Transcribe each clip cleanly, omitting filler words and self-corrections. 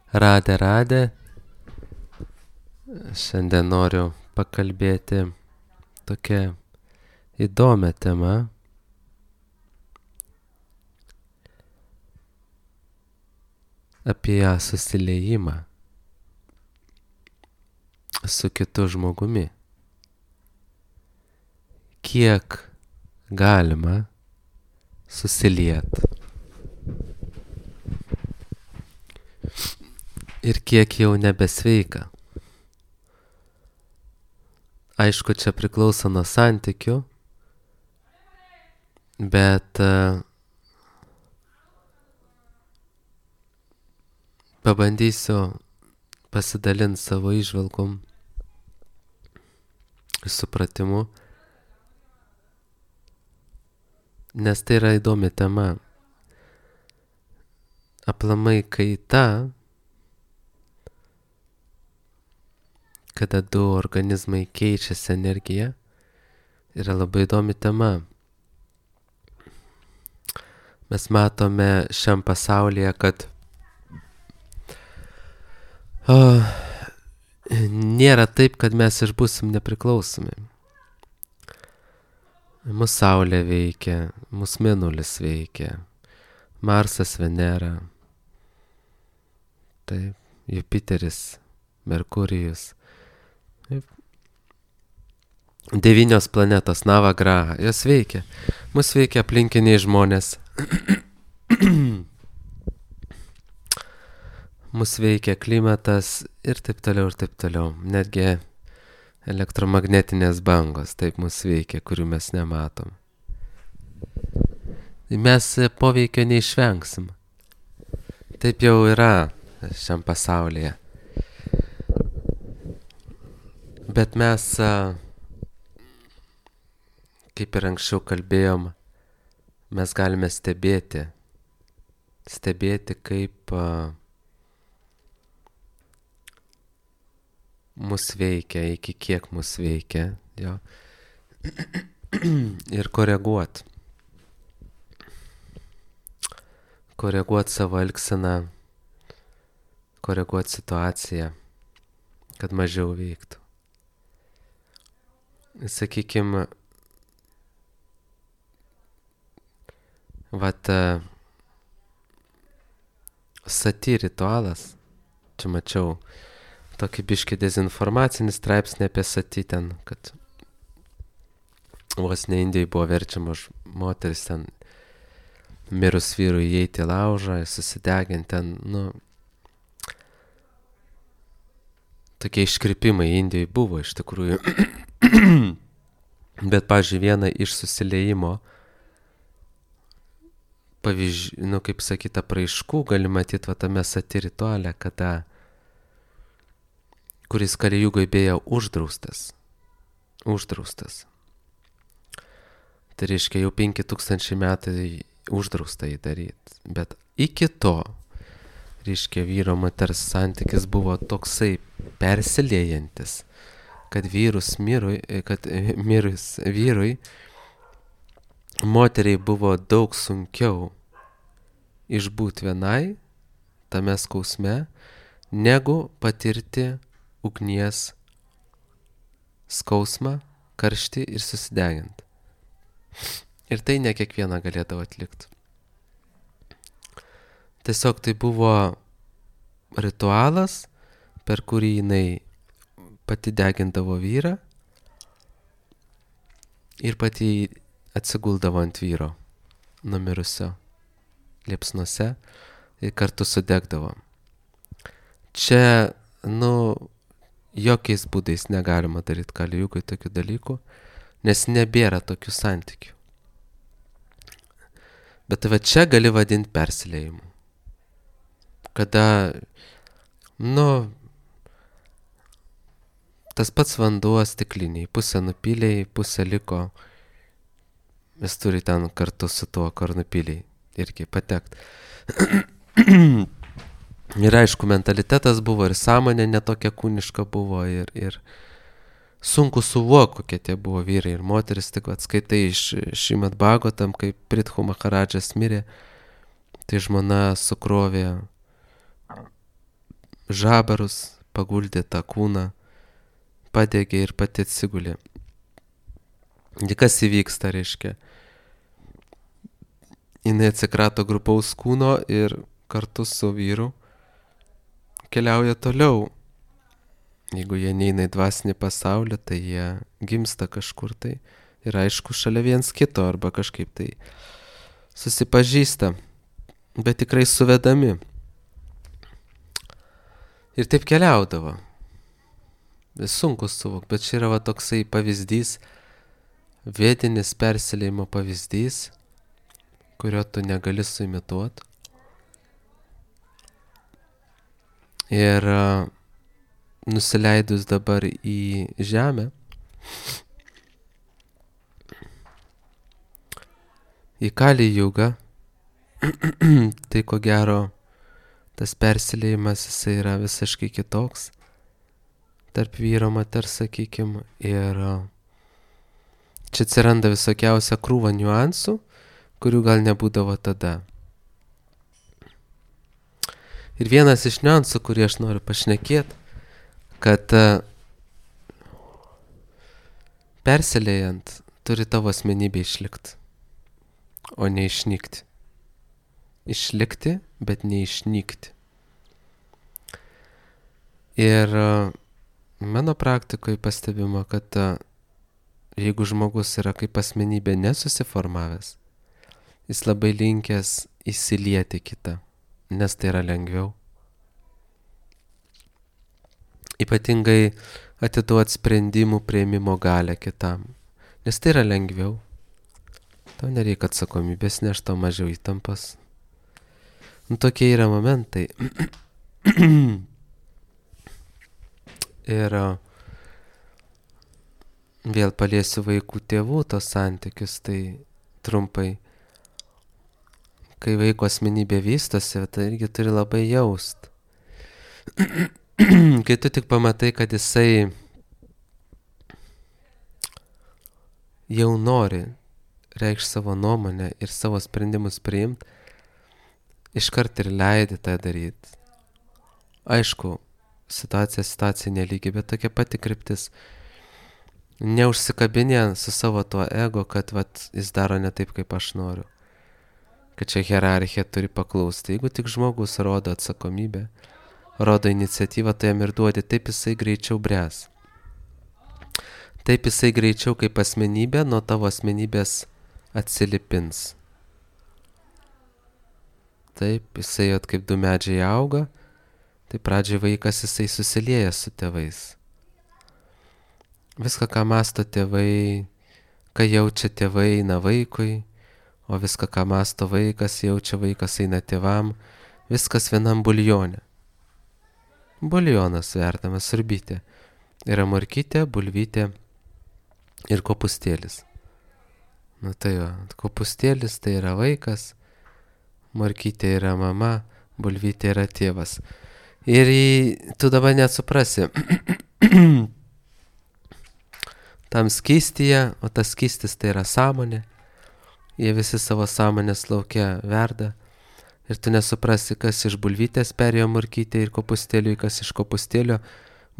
Radė. Šiandien noriu pakalbėti tokią įdomią temą apie susiliejimą su kitu žmogumi. Kiek galima susiliet ir kiek jau nebesveika. Aišku, čia priklauso nuo santykių, bet pabandysiu pasidalinti savo įžvalgom ir supratimu, nes tai yra įdomi tema. Aplamai kaita, kada du organizmai keičiasi energiją, yra labai įdomi tema. Mes matome šiam pasaulyje, kad nėra taip, kad mes išbūsim nepriklausomi. Mūsų Saulė veikia, mūsų Mėnulis veikia, Marsas, Venera, taip, Jupiteris, Merkurijus. 9 planetos, Navagraha, jos veikia. Mus veikia aplinkiniai žmonės. Mus veikia klimatas ir taip toliau, ir taip toliau. Netgi elektromagnetinės bangos taip mus veikia, kurių mes nematom. Mes poveikio neišvengsim. Taip jau yra šiam pasaulyje. Bet mes, kaip ir anksčiau kalbėjom, mes galime stebėti, kaip mus veikia, iki kiek mus veikia, jo, ir koreguot savo elgseną, koreguot situaciją, kad mažiau veiktų. Sakykime, sati ritualas, čia mačiau tokį biškį dezinformacinį straipsnį apie sati ten, kad vos ne Indijai buvo verčiama moteris ten mirus vyrui įeiti į laužą ir susideginti ten, tokie iškrypimai Indijai buvo iš tikrųjų. Bet, pavyzdžiui, viena iš susiliejimo pavyzdžių, kaip sakyta, apraiškų gali matyti tame sati rituale, kuris Kali-jugoj beje uždraustas. Tai reiškia, jau 5000 metų uždrausta jį daryti. Bet iki to, reiškia, vyro moters santykis buvo toksai persiliejantis, kad mirus vyrui, moteriai buvo daug sunkiau išbūti vienai tame skausme, negu patirti ugnies skausmą, karštį ir susideginti. Ir tai ne kiekviena galėdavo atlikti. Tiesiog tai buvo ritualas, per kurį jinai pati degindavo vyrą ir pati atsiguldavo ant vyro numirusio liepsnuose ir kartu sudegdavo. Čia, jokiais būdais negalima daryti Kali-jugoj tokių dalykų, nes nebėra tokių santykių. Bet čia gali vadinti persiliejimu. Kada, tas pats vanduo stikliniai, pusę nupylėjai, pusę liko, vis turi ten kartu su tuo, kur nupylėjai, irgi patekt. Ir aišku, mentalitetas buvo ir sąmonė netokia kūniška buvo ir sunku suvokti, kokie tie buvo vyrai ir moteris, tik atskaitai iš Šrimad Bhagavatam, kai Prithu Maharadžas mirė, tai žmona sukrovė žabarus, paguldė tą kūną, padegė ir pati atsigulė. Ir kas įvyksta, reiškia? Jinai atsikrato grupaus kūno ir kartu su vyru keliauja toliau. Jeigu jie neina į dvasinį pasaulį, tai jie gimsta kažkur tai ir aišku šalia viens kito arba kažkaip tai susipažįsta, bet tikrai suvedami. Ir taip keliaudavo. Sunku suvokti, bet čia yra toksai pavyzdys, vietinis persilėjimo pavyzdys, kurio tu negali suimituoti. Ir nusileidus dabar į žemę, į Kali jugą, tai ko gero tas persilėjimas jisai yra visiškai kitoks tarp vyro moters, sakykim, ir čia atsiranda visokiausia krūva niuansų, kurių gal nebūdavo tada. Ir vienas iš niuansų, kurį aš noriu pašnekėti, kad persilėjant turi tavo asmenybė išlikti, o ne išnykti. Išlikti, bet neišnykti. Ir mano praktikoje pastebima, kad jeigu žmogus yra kaip asmenybė nesusiformavęs, jis labai linkęs įsilieti kitą, nes tai yra lengviau. Ypatingai atiduoti sprendimų priėmimo galią kitam, nes tai yra lengviau. Tau nereikia atsakomybės, nes tau mažiau įtampos. Tokie yra momentai. Ir vėl paliesiu vaikų tėvų tos santykius, tai trumpai. Kai vaiko asmenybė vystosi, tai irgi turi labai jaust. Kai tu tik pamatai, kad jisai jau nori reikšti savo nuomonę ir savo sprendimus priimti, iškart ir leidi tą daryti. Aišku, situacija nelygi, bet tokia pati kryptis. Neužsikabinė su savo tuo ego, kad jis daro ne taip, kaip aš noriu. Kad čia hierarchija turi paklausti. Jeigu tik žmogus rodo atsakomybę, rodo iniciatyvą, tai jam ir duodi, taip jisai greičiau bręs. Taip jisai greičiau kaip asmenybė nuo tavo asmenybės atsilipins. Taip, jisai kaip du medžiai auga, tai pradžiai vaikas jisai susilieja su tėvais. Viską, ką mąsto tėvai, ką jaučia tėvai, eina vaikui, o viską, ką mąsto vaikas, jaučia vaikas, eina tėvam, viskas vienam buljone. Buljonas verdamas, sriubytė. Yra morkytė, bulvytė ir kopūstėlis. Tai jo, kopūstėlis tai yra vaikas, morkytė yra mama, bulvytė yra tėvas. Ir tu dabar net suprasi, tam skystyje, o tas skystis tai yra sąmonė, jie visi savo sąmonės laukia verda, ir tu nesuprasi, kas iš bulvytės perėjo morkytė ir kopūstėliui, kas iš kopūstėlio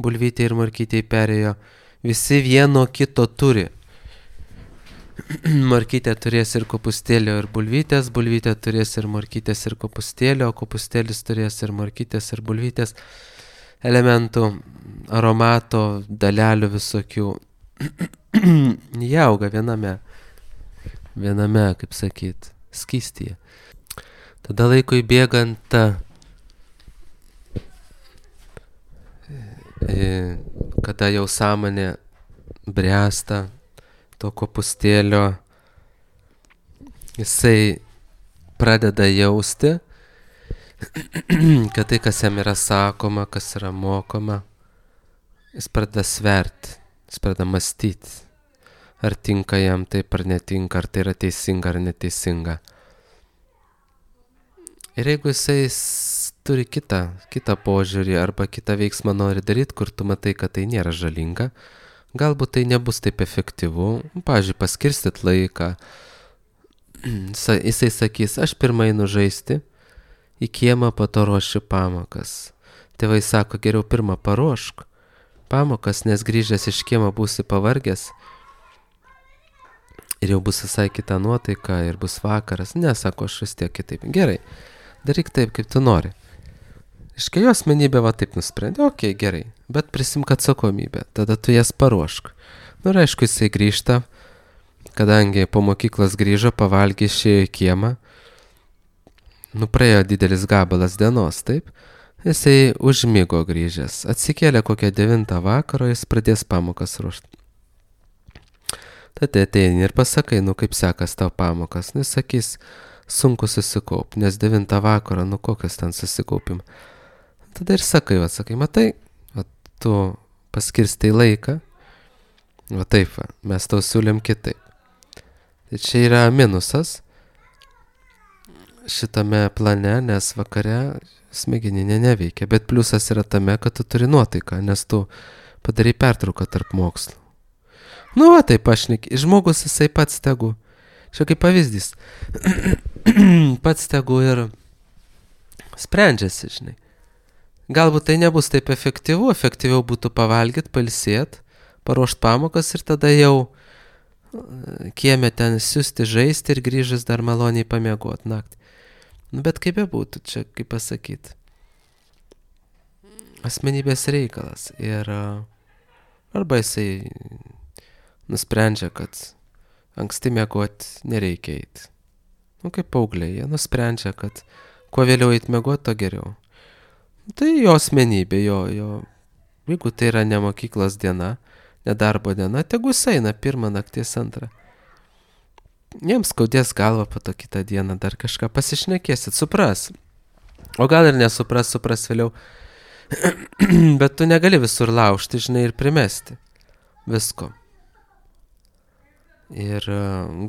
bulvytė ir morkytė perėjo, visi vieno kito turi. Morkytė turės ir kopūstėlio ir bulvytės, bulvytė turės ir morkytės ir kopūstėlio, kopūstėlis turės ir morkytės ir bulvytės elementų, aromato, dalelių visokių. Jie auga viename, kaip sakyt, skystyje. Tada laikui bėgant, kada jau sąmonė bręsta, to kopūstėlio, jisai pradeda jausti, kad tai, kas jam yra sakoma, kas yra mokoma, jis pradeda sverti, jis pradeda mąstyti, ar tinka jam taip ar netinka, ar tai yra teisinga ar neteisinga. Ir jeigu jisai turi kitą požiūrį arba kitą veiksmą nori daryti, kur tu matai, kad tai nėra žalinga, galbūt tai nebus taip efektyvu, pavyzdžiui, paskirstyt laiką. Jisai sakys, aš pirmai žaisti į kiemą, po to ruošiu pamokas. tėvai sako, geriau pirmą paruošk pamokas, nes grįžęs iš kiemo būsi pavargęs ir jau bus visai kita nuotaika ir bus vakaras. Ne, sako, aš vis tiek kitaip. Gerai, daryk taip, kaip tu nori. Iškai jo asmenybė va taip nusprendė, okei, gerai, bet prisimk atsakomybę, tada tu jas paruošk. Nu ir aišku, jisai grįžta, kadangi po mokyklos grįžo, pavalgė, išėjo į kiemą, nu praėjo didelis gabalas dienos, taip, jisai užmigo grįžęs, atsikėlė kokią 9 vakaro, jis pradės pamokas ruošti. Tada ateini ir pasakai, nu kaip sekas tau pamokas, nu jis sakys, sunku susikaup, nes 9 vakaro, nu kokias ten susikaupim. Tada ir sakai, matai, tu paskirstai laiką, va taip, mes tau siūlėm kitaip. Tai čia yra minusas šitame plane, nes vakare smegeninė neveikia, bet pliusas yra tame, kad tu turi nuotaiką, nes tu padarai pertrauką tarp mokslų. Nu va taip, žmogus jisai pats tegu, čia kaip pavyzdys, pats tegu ir sprendžiasi, žinai. Galbūt tai nebus taip efektyviau būtų pavalgyti, pailsėti, paruošti pamokas ir tada jau kieme ten siusti, žaisti ir grįžęs dar maloniai pamiegoti naktį. Nu, bet kaip bebūtų, čia kaip pasakyti, asmenybės reikalas. Ir arba jisai nusprendžia, kad anksti miegoti nereikia eiti. Nu, kaip paaugliai, jie nusprendžia, kad kuo vėliau eiti miegoti, to geriau. Tai jo asmenybė, jeigu tai yra ne mokyklos diena, ne darbo diena, tegu jis eina 1 nakties 2. Jiems skaudės galva po to kitą dieną dar kažką pasišnekėsit, supras. O gal ir nesupras vėliau. Bet tu negali visur laužti, žinai, ir primesti visko. Ir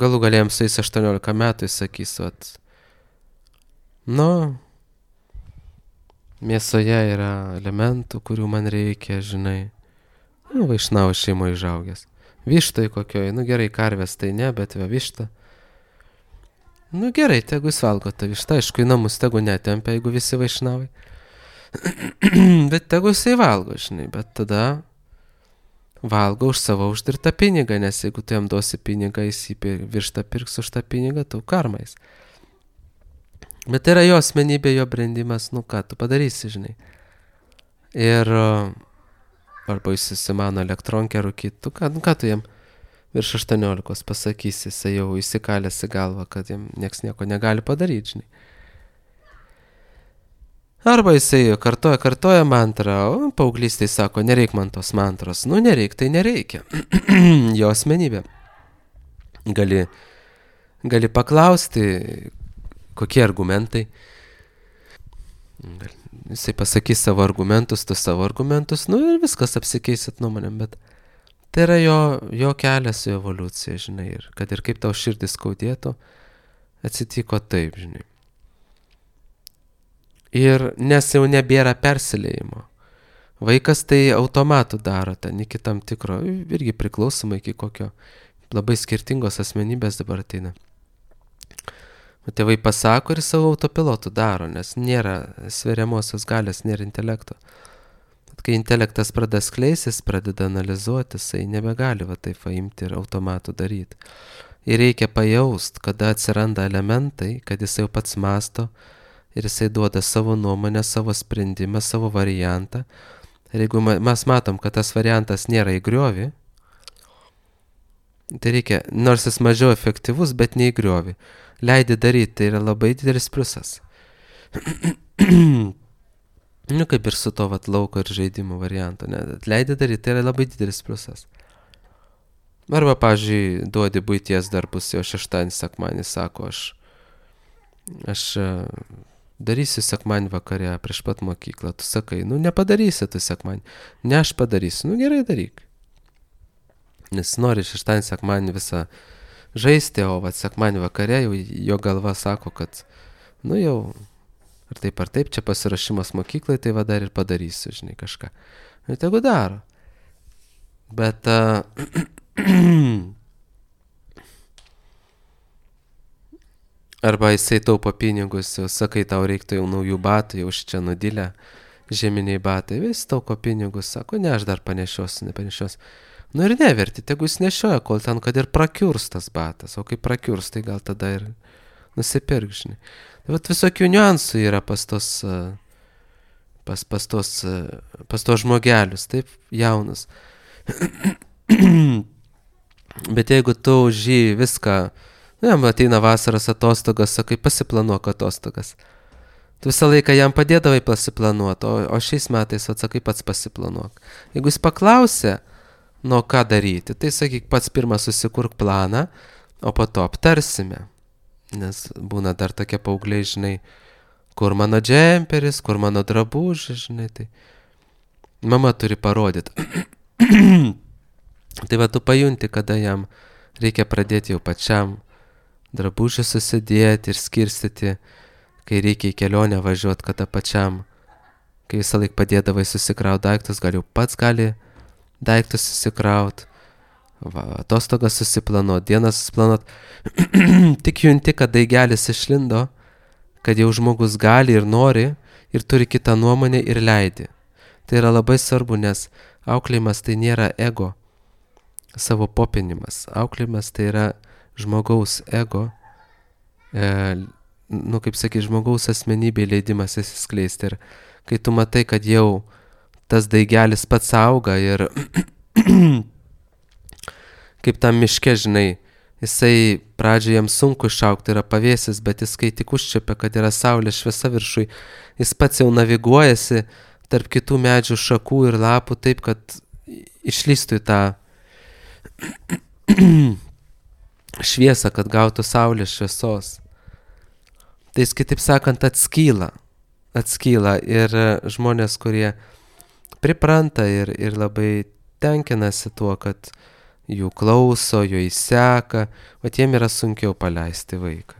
galų galėjom su jais 18 metų, jis sakys, mėsoje yra elementų, kurių man reikia, žinai. Nu, vaišnavo šeimoje išaugęs. Vištai kokioj, nu gerai, karvės tai ne, bet višta. Nu gerai, tegu jis valgo tą vištą, aišku, į namus tegu netempia, jeigu visi vaišnavai. Bet tegu jisai valgo, žinai, bet tada valgo už savo uždirbtą pinigą, nes jeigu tu jam duosi pinigą, jis vištą pirks už tą pinigą, tau karmais. Bet tai yra jo asmenybė, jo brendimas, nu ką tu padarysi, žinai. Ir arba jis įsimano elektronkę rūkyti, ką tu jam virš 18 pasakysi, jisai jau įsikalęs į galvą, kad jam nieks nieko negali padaryti, žinai. Arba jisai kartoja mantrą, o paauglystėj sako, nereik man tos mantros. Nu nereik, tai nereikia. Jo asmenybė. Gali paklausti, kokie argumentai. Jisai pasakys savo argumentus, tu savo argumentus, nu ir viskas, apsikeisit nuomonėm, bet tai yra jo kelias, jo evoliucija, žinai, ir kad ir kaip tau širdis skaudėtų, atsitiko taip, žinai. Ir nes jau nebėra persilėjimo. Vaikas tai automatų daro, ten iki tam tikro, irgi priklausomai iki kokio labai skirtingos asmenybės dabar ateina. O tėvai pasako ir savo autopilotų daro, nes nėra sveriamosios galios, nėra intelekto. Kai intelektas pradeda skleisis, pradeda analizuoti, jisai nebegali taip imti ir automatų daryti. Ir reikia pajaust, kada atsiranda elementai, kad jisai jau pats masto ir jisai duoda savo nuomonę, savo sprendimą, savo variantą. Ir jeigu mes matom, kad tas variantas nėra į griovį, tai reikia, nors jis mažiau efektyvus, bet ne į griovį. Leidi daryti, tai yra labai didelis pliusas. Nu, kaip ir su to lauko ir žaidimų varianto. Leidi daryti, tai yra labai didelis pliusas. Arba, pavyzdžiui, duodi buities darbus, jau šeštadienį, sekmadienį, sako, aš darysiu sekmadienį vakare prieš pat mokyklą. Tu sakai, nu, nepadarysi tu sekmadienį. Ne, aš padarysiu. Nu, gerai daryk. Nes nori šeštadienį, sekmadienį visą žaisti, o sekmadienį vakare jau jo galva sako, kad, nu, jau ar taip, čia pasirašymas mokyklai, tai dar ir padarysiu, žinai, kažką. Ir tegu daro. Bet arba jisai taupo pinigus, jau sakai, tau reiktų jau naujų batų, jau čia nudilę, žieminiai batai, vis tauko pinigus, sako, ne, aš dar nepanešiosiu. Nu ir neverti, tegu jis nešioja, kol ten, kad ir prakiurs tas batas, o kai prakiurs, tai gal tada ir nusipirk, žinai. Tai vat visokių niuansų yra pas tos žmogelius, taip, jaunus. Bet jeigu tu už jį viską, ateina vasaros atostogas, sakai, pasiplanuok atostogas. Tu visą laiką jam padėdavai pasiplanuoti, o šiais metais, atsakai, pats pasiplanuok. Jeigu jis paklausė, nu ką daryti, tai sakyk, pats pirmą susikurk planą, o po to aptarsime. Nes būna dar tokie paaugliai, žinai, kur mano džemperis, kur mano drabužis, žinai, tai mama turi parodyti. Tai va, tu pajunti, kada jam reikia pradėti jau pačiam drabužį susidėti ir skirstyti, kai reikia į kelionę važiuoti, kada pačiam, kai visą laik padėdavai susikraut daiktus, gal jau pats gali daiktus susikraut, atostogas susiplanuot, dieną susiplanuot. Tik junti, kad daigelis išlindo, kad jau žmogus gali ir nori, ir turi kitą nuomonę ir leidi. Tai yra labai svarbu, nes auklėjimas tai nėra ego, savo popinimas. Auklėjimas tai yra žmogaus ego, kaip sakai, žmogaus asmenybė leidimas įsiskleisti. Ir kai tu matai, kad jau tas daigelis pats auga ir kaip tam miške, žinai, jisai pradžioje jam sunku išaugti, yra pavėsis, bet jis kai tik užčiapia, kad yra saulės šviesa viršui, jis pats jau naviguojasi tarp kitų medžių šakų ir lapų taip, kad išlystų į tą šviesą, kad gautų saulės šviesos. Tai jis, kitaip sakant, atskyla ir žmonės, kurie pripranta ir labai tenkinasi tuo, kad jų klauso, jų įseka, o tiem yra sunkiau paleisti vaiką.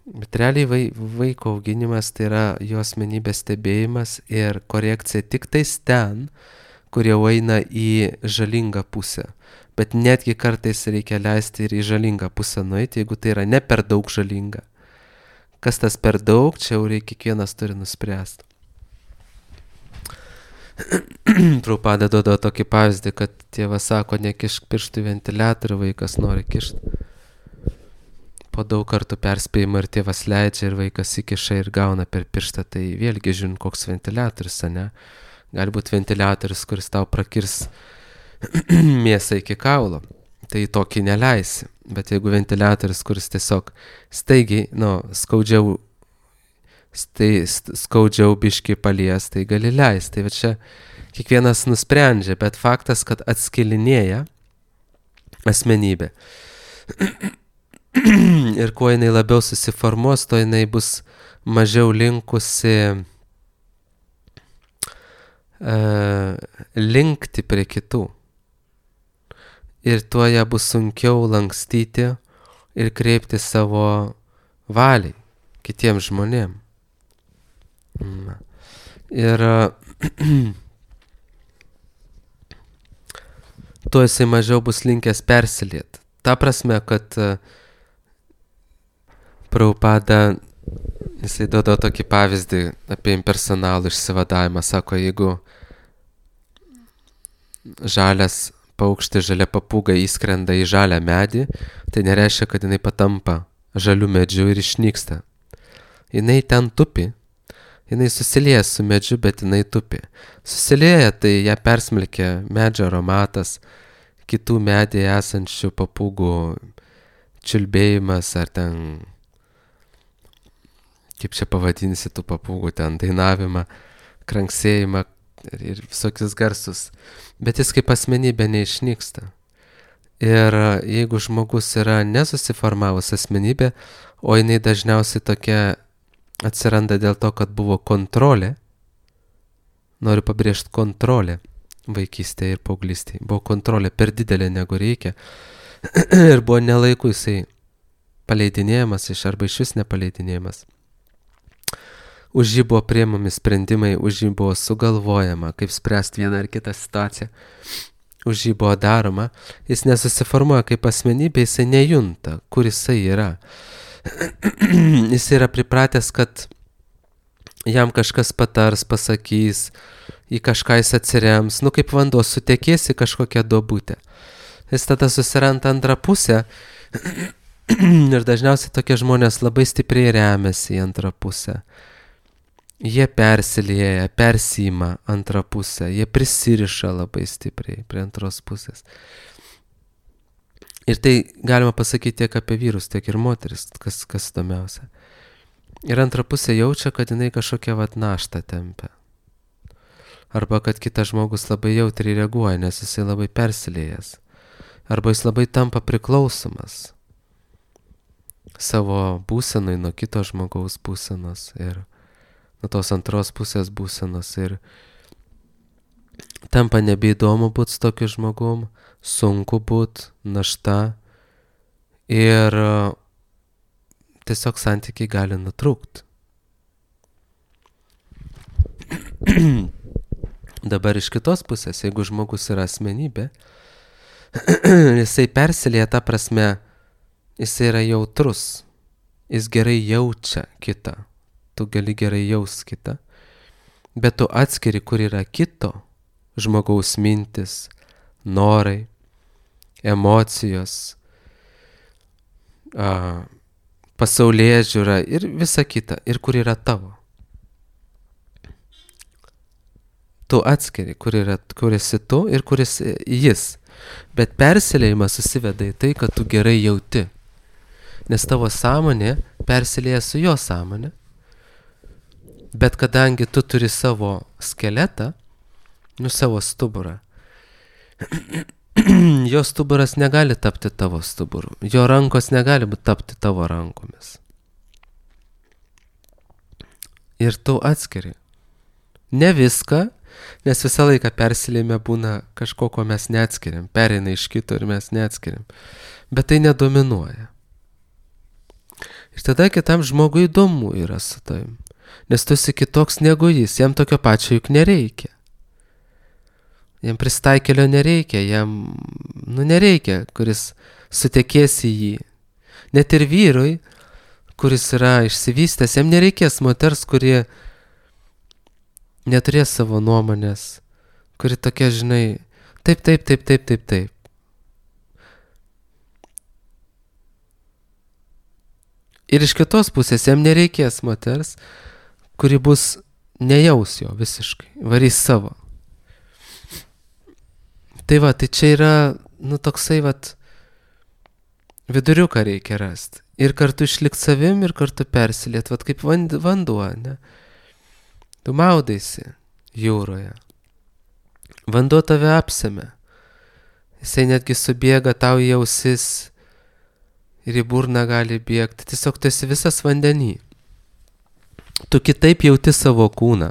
Bet realiai vaiko auginimas tai yra jo asmenybės stebėjimas ir korekcija tik tais ten, kur jau eina į žalingą pusę. Bet netgi kartais reikia leisti ir į žalingą pusę nueiti, jeigu tai yra ne per daug žalinga. Kas tas per daug, čia jau kiekvienas turi nuspręsti. Prabhupada duoda tokį pavyzdį, kad tėvas sako, nekišk pirštų į ventiliatorių, vaikas nori kišti. Po daug kartų perspėjimo ir tėvas leidžia ir vaikas įkiša ir gauna per pirštą, tai vėlgi žiūrint, koks ventiliatorius, ne? Gali būti ventiliatorius, kuris tau prakirs mėsą iki kaulo, tai tokį neleisi. Bet jeigu ventiliatorius, kuris tiesiog staigiai, skaudžiau biškį palies, tai gali leisti. Tai va čia kiekvienas nusprendžia, bet faktas, kad atskilinėja asmenybė. Ir kuo jinai labiau susiformuos, to jinai bus mažiau linkusi linkti prie kitų. Ir tuo ją bus sunkiau lankstyti ir kreipti savo valiai kitiems žmonėms. Ir tuo jisai mažiau bus linkęs persilieti. Ta prasme, kad Prabhupada, jisai duoda tokį pavyzdį apie impersonalų išsivadavimą. Sako, jeigu žalias paukštis, žalia papūga įskrenda į žalią medį, tai nereiškia, kad jinai patampa žalių medžių ir išnyksta. Jinai ten tupi, jinai susilieja su medžiu, bet jinai tupi. Susilieja, tai ją persmelkia medžio aromatas, kitų medėje esančių papūgų čiulbėjimas ar ten, kaip čia pavadinsi tų papūgų, ten dainavimą, kranksėjimą ir visokius garsus. Bet jis kaip asmenybė neišnyksta. Ir jeigu žmogus yra nesusiformavus asmenybė, o jinai dažniausiai tokia atsiranda dėl to, kad buvo kontrolė, noriu pabrėžti kontrolė vaikystėje ir paauglystėje. Buvo kontrolė per didelė negu reikia ir buvo nelaiku jisai paleidinėjamas arba iš vis nepaleidinėjamas. Už jį buvo priimami sprendimai, už jį buvo sugalvojama, kaip spręsti vieną ar kitą situaciją. Už jį buvo daroma, jis nesusiformuoja kaip asmenybė, jisai nejunta, kur jisai yra. Jis yra pripratęs, kad jam kažkas patars, pasakys, į kažką jis atsirems, kaip vanduo sutekės į kažkokią duobutę. Jis tada susiranda antrą pusę ir dažniausiai tokie žmonės labai stipriai remiasi į antrą pusę. Jie persilieja, persima antrą pusę, jie prisiriša labai stipriai prie antros pusės. Ir tai galima pasakyti tiek apie vyrus, tiek ir moteris, kas įdomiausia. Ir antra pusė jaučia, kad jinai kažkokią naštą tempia. Arba kad kitas žmogus labai jautriai reaguoja, nes jisai labai persilėjęs. Arba jis labai tampa priklausomas savo būsenai nuo kito žmogaus būsenos ir nuo tos antros pusės būsenos. Ir tampa nebeįdomu būti su tokiu žmogum, sunku būti, našta ir tiesiog santykiai gali nutrūkti. Dabar iš kitos pusės, jeigu žmogus yra asmenybė, jisai persilieja ta prasme, jisai yra jautrus, jis gerai jaučia kitą, tu gali gerai jaust kitą, bet tu atskiri, kur yra kito žmogaus mintis, norai, emocijos, pasaulėžiūra ir visa kita, ir kur yra tavo. Tu atskiri, kur esi tu ir kur esi jis. Bet persiliejimas susiveda į tai, kad tu gerai jauti. Nes tavo sąmonė persilieja su jo sąmonė. Bet kadangi tu turi savo skeletą, savo stuburą, jo stuburas negali tapti tavo stuburu. Jo rankos negali tapti tavo rankomis. Ir tu atskiri. Ne viską, nes visą laiką persilėjime būna kažko, ko mes neatskiriam. Pereina iš kito ir mes neatskiriam. Bet tai nedominuoja. Ir tada kitam žmogui įdomu yra su tavim. Nes tu esi kitoks negu jis. Jam tokio pačio juk nereikia. Jam pristaikėlio nereikia. Jam, nereikia, kuris sutekės į jį. Net ir vyrui, kuris yra išsivystęs, jam nereikės moters, kuri neturės savo nuomonės, kuri tokia, žinai, taip. Ir iš kitos pusės jam nereikės moters, kuri bus nejaus jo visiškai, varys savo. Tai tai čia yra, toksai viduriuką reikia rasti. Ir kartu išlikti savim, ir kartu persiliet, kaip vanduo, ne? Tu maudaisi jūroje. Vanduo tave apsemia. Jisai netgi subėga tau į ausis ir į burną gali bėgti. Tiesiog tu esi visas vandenį. Tu kitaip jauti savo kūną.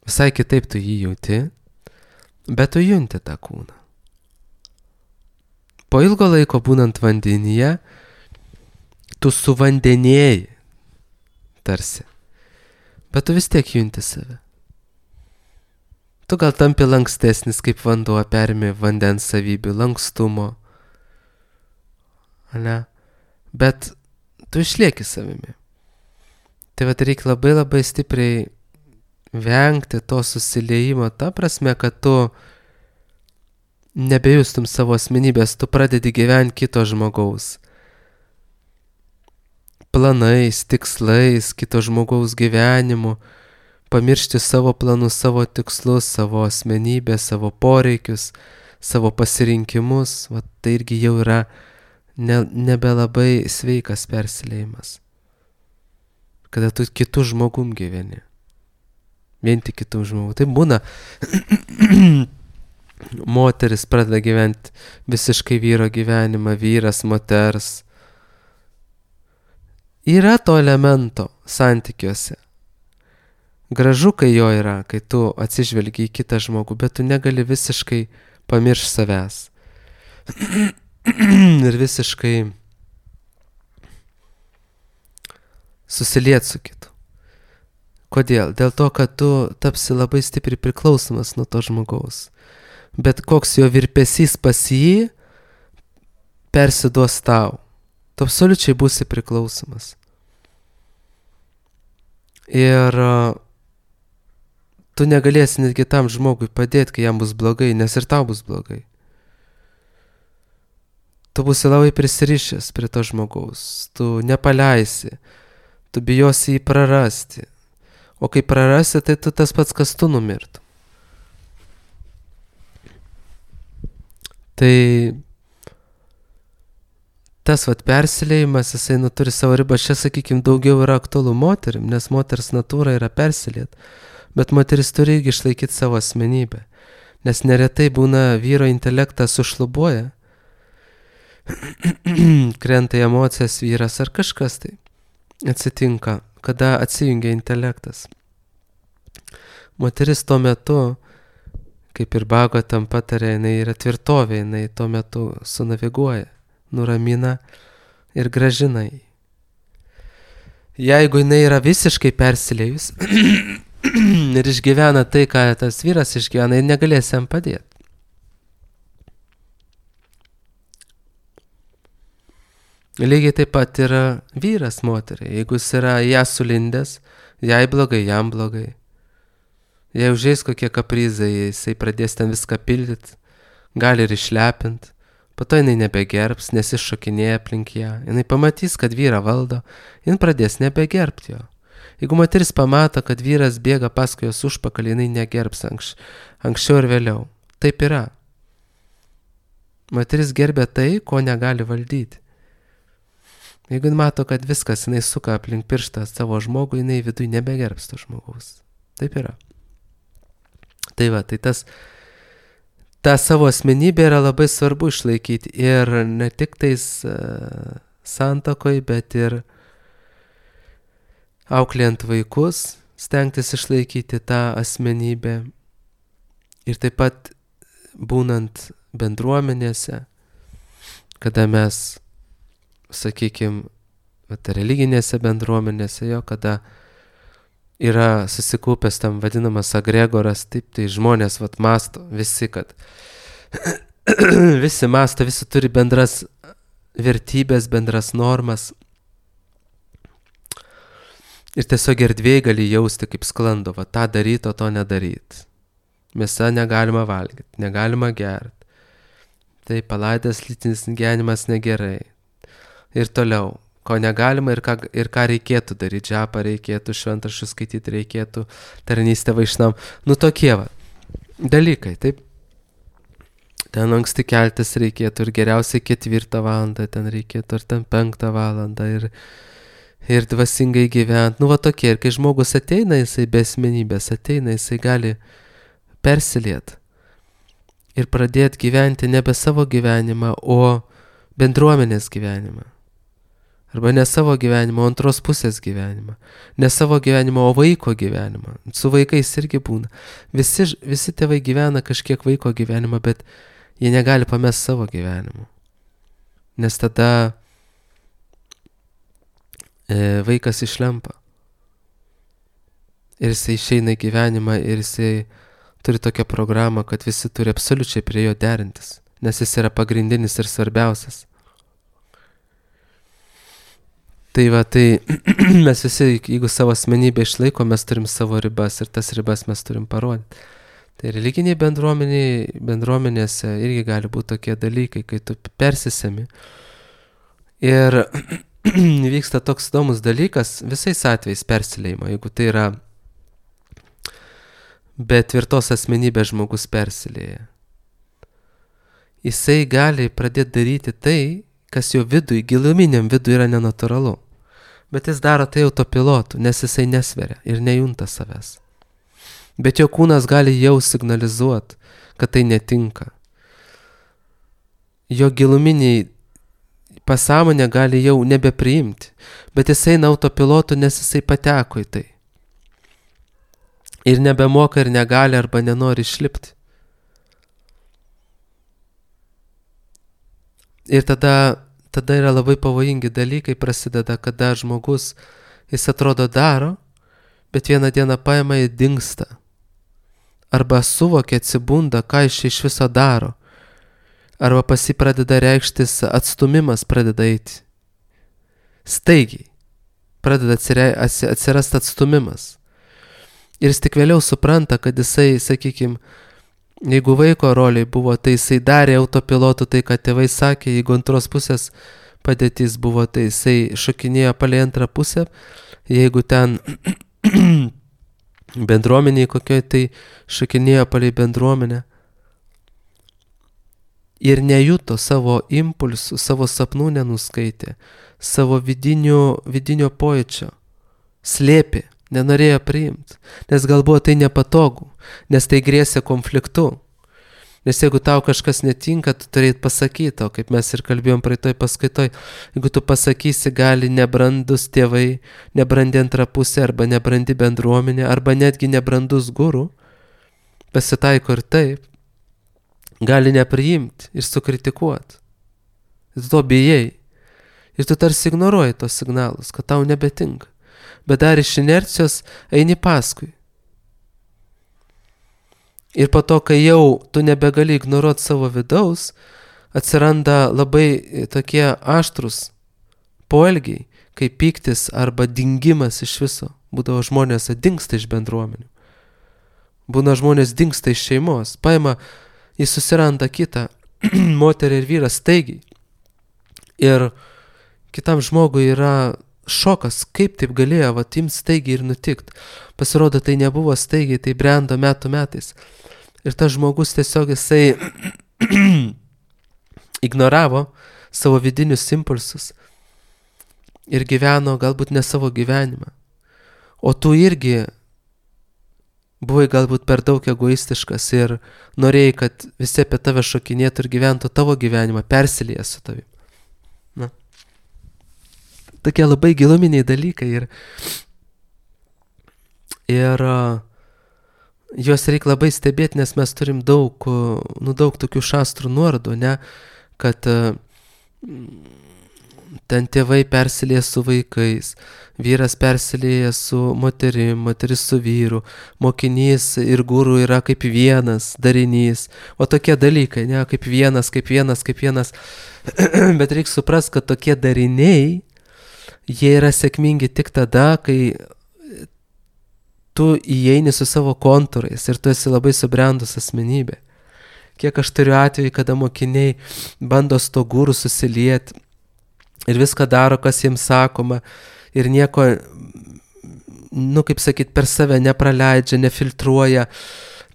Visai kitaip tu jį jauti, bet tu junti tą kūną. Po ilgo laiko būnant vandenyje, tu suvandenėjai tarsi. Bet tu vis tiek junti save. Tu gal tampi lankstesnis, kaip vanduo, perimi vandens savybių, lankstumo. Ne? Bet tu išlieki savimi. Tai reikia labai stipriai vengti to susiliejimo, ta prasme, kad tu nebejustum savo asmenybės, tu pradedi gyventi kito žmogaus planais, tikslais, kito žmogaus gyvenimu, pamiršti savo planus, savo tikslus, savo asmenybę, savo poreikius, savo pasirinkimus. Tai irgi jau yra nebelabai sveikas persiliejimas. Kada tu kitų žmogum gyveni. Vien tik kitų žmogų. Tai būna moteris pradeda gyventi visiškai vyro gyvenimą, vyras, moters. Yra to elemento santykiuose. Gražu, kai jo yra, kai tu atsižvelgi į kitą žmogų, bet tu negali visiškai pamiršti savęs. Ir visiškai susiliet su kitu. Kodėl? Dėl to, kad tu tapsi labai stipriai priklausomas nuo to žmogaus. Bet koks jo virpesys pas jį persiduos tau. Tu absoliučiai būsi priklausomas. Ir tu negalėsi netgi tam žmogui padėti, kai jam bus blogai, nes ir tau bus blogai. Tu būsi labai prisirišęs prie to žmogaus, tu nepaleisi, tu bijosi jį prarasti. O kai prarasi, tai tu tas pats, kas tu numirtum. Tai tas persiliejimas, jisai turi savo ribą. Čia, sakykime, daugiau yra aktualu moterim, nes moters natūra yra persiliet. Bet moteris turi irgi išlaikyti savo asmenybę. Nes neretai būna vyro intelektas sušlubuoja, krenta į emocijas vyras ar kažkas tai atsitinka, kada atsijungia intelektas. Moteris tuo metu, kaip ir Bhagavatam patarė, jinai yra tvirtovė, jinai tuo metu sunaviguoja, nuramina ir gražina jį. Jeigu jinai yra visiškai persiliejus ir išgyvena tai, ką tas vyras išgyvena, jis negalės jam padėti. Lygiai taip pat yra vyras moteriai. Jeigu jis yra ją sulindęs, jai blogai, jam blogai. Jei užeis kokie kaprizai, jisai pradės ten viską pildyti, gali ir išlepinti. Po to jinai nebegerbs, nes jis šokinėja aplink ją. Jinai pamatys, kad vyrą valdo, jin pradės nebegerbti jo. Jeigu moteris pamato, kad vyras bėga paskui jos užpakalį, jinai negerbs anksčiau ir vėliau. Taip yra. Moteris gerbia tai, ko negali valdyti. Jeigu jin mato, kad viskas jinai suka aplink pirštą savo žmogų, jinai vidui nebegerbs to žmogaus. Taip yra. Tai va, tai tą savo asmenybę yra labai svarbu išlaikyti ir ne tik tais santokoj, bet ir auklėjant vaikus, stengtis išlaikyti tą asmenybę ir taip pat būnant bendruomenėse, kada mes, sakykime, religinėse bendruomenėse, kada yra susikaupęs tam vadinamas agregoras, taip, tai žmonės masto, visi, kad visi masto, visi turi bendras vertybės, bendras normas. Ir tiesiog erdvėj gali jausti, kaip sklando, tą daryti, o to nedaryti. Mėsa negalima valgyti, negalima gerti. Tai palaidas lytinis gyvenimas negerai. Ir toliau, ko negalima ir ką reikėtų daryti, džapą reikėtų, šventraščius skaityti reikėtų, tarnystę vaišnam. Tokie dalykai, taip. Ten anksti keltis reikėtų ir geriausiai 4 valandą ten reikėtų, ar ten 5 valandą ir dvasingai gyventi. Tokie. Ir kai žmogus ateina, jisai be asmenybės ateina, jisai gali persiliet ir pradėti gyventi nebe savo gyvenimą, o bendruomenės gyvenimą. Arba ne savo gyvenimą, o antros pusės gyvenimą. Ne savo gyvenimą, o vaiko gyvenimą. Su vaikais irgi būna. Visi tėvai gyvena kažkiek vaiko gyvenimą, bet jie negali pamesti savo gyvenimo. Nes tada vaikas išlempa. Ir jisai išeina į gyvenimą ir jisai turi tokią programą, kad visi turi absoliučiai prie jo derintis. Nes jis yra pagrindinis ir svarbiausias. Tai mes visi, jeigu savo asmenybę išlaiko, mes turim savo ribas ir tas ribas mes turim parodyti. Tai religiniai bendruomenėse irgi gali būti tokie dalykai, kai tu persisemi. Ir vyksta toks įdomus dalykas, visais atvejais persileimo, jeigu tai yra be tvirtos asmenybės žmogus persilėja. Jisai gali pradėti daryti tai, kas jo vidui, giluminiam vidui yra nenatūralu. Bet jis daro tai autopilotu, nes jisai nesveria ir nejunta savęs. Bet jo kūnas gali jau signalizuoti, kad tai netinka. Jo giluminiai pasąmonė gali jau nebepriimti, bet jisai eina autopilotu, nes jisai pateko į tai. Ir nebemoka ir negali arba nenori išlipti. Ir tada yra labai pavojingi dalykai prasideda, kada žmogus, jis atrodo daro, bet vieną dieną paima ir dingsta. Arba suvokia, atsibunda, ką jis iš viso daro. Arba pas jį pradeda reikštis atstumimas, pradeda eiti. Staigiai. pradeda atsirasti atstumimas. Ir jis tik vėliau supranta, kad jisai, sakykime, jeigu vaiko roliai buvo, tai jisai darė autopilotų tai, ką tėvai sakė, jeigu antros pusės padėtis buvo, tai jisai šokinėjo palei antrą pusę, jeigu ten bendruomeniai kokioj, tai šokinėjo palei bendruomenę. Ir nejuto savo impulsų, savo sapnų nenuskaitė, savo vidinio pojūčio, slėpė, nenorėjo priimti, nes gal buvo tai nepatogu, nes tai grėsė konfliktu. Nes jeigu tau kažkas netinka, tu turėt pasakyti, o kaip mes ir kalbėjom praeitoj paskaitoj, jeigu tu pasakysi, gali nebrandus tėvai, nebrandi antra pusė, arba nebrandi bendruomenė, arba netgi nebrandus guru, pasitaiko ir taip, gali nepriimti ir sukritikuoti. Ir tu to bijai. Ir tu tarsi ignoruoji tos signalus, kad tau nebetinka. Bet dar iš inercijos eini paskui. Ir po to, kai jau tu nebegali ignoruoti savo vidaus, atsiranda labai tokie aštrus poelgiai, kaip pyktis arba dingimas iš viso. Būdavo žmonės dingsta iš bendruomenių. Būna žmonės dingsta iš šeimos. Paima, jis susiranda kitą moterį ir vyrą staigiai. Ir kitam žmogui yra šokas, kaip taip galėjo imt staigiai ir nutikt. Pasirodo, tai nebuvo staigiai, tai brendo metų metais. Ir tas žmogus tiesiog jisai ignoravo savo vidinius impulsus ir gyveno galbūt ne savo gyvenimą. O tu irgi buvai galbūt per daug egoistiškas ir norėjai, kad visi apie tave šokinėtų ir gyventų tavo gyvenimą, persilieja su tavim. Na. Tokie labai giluminiai dalykai ir juos reikia labai stebėti, nes mes turim daug tokių šastrų nuorodų, ne, kad ten tėvai persilieja su vaikais, vyras persilieja su moterim, moteris su vyru, mokinys ir guru yra kaip vienas darinys, o tokie dalykai, ne, kaip vienas, bet reikia suprasti, kad tokie dariniai, jie yra sėkmingi tik tada, kai tu įeini su savo kontūrais ir tu esi labai subrendus asmenybė. Kiek aš turiu atveju, kada mokiniai bando su to guru susilieti ir viską daro, kas jiems sakoma ir nieko, kaip sakyt, per save nepraleidžia, nefiltruoja,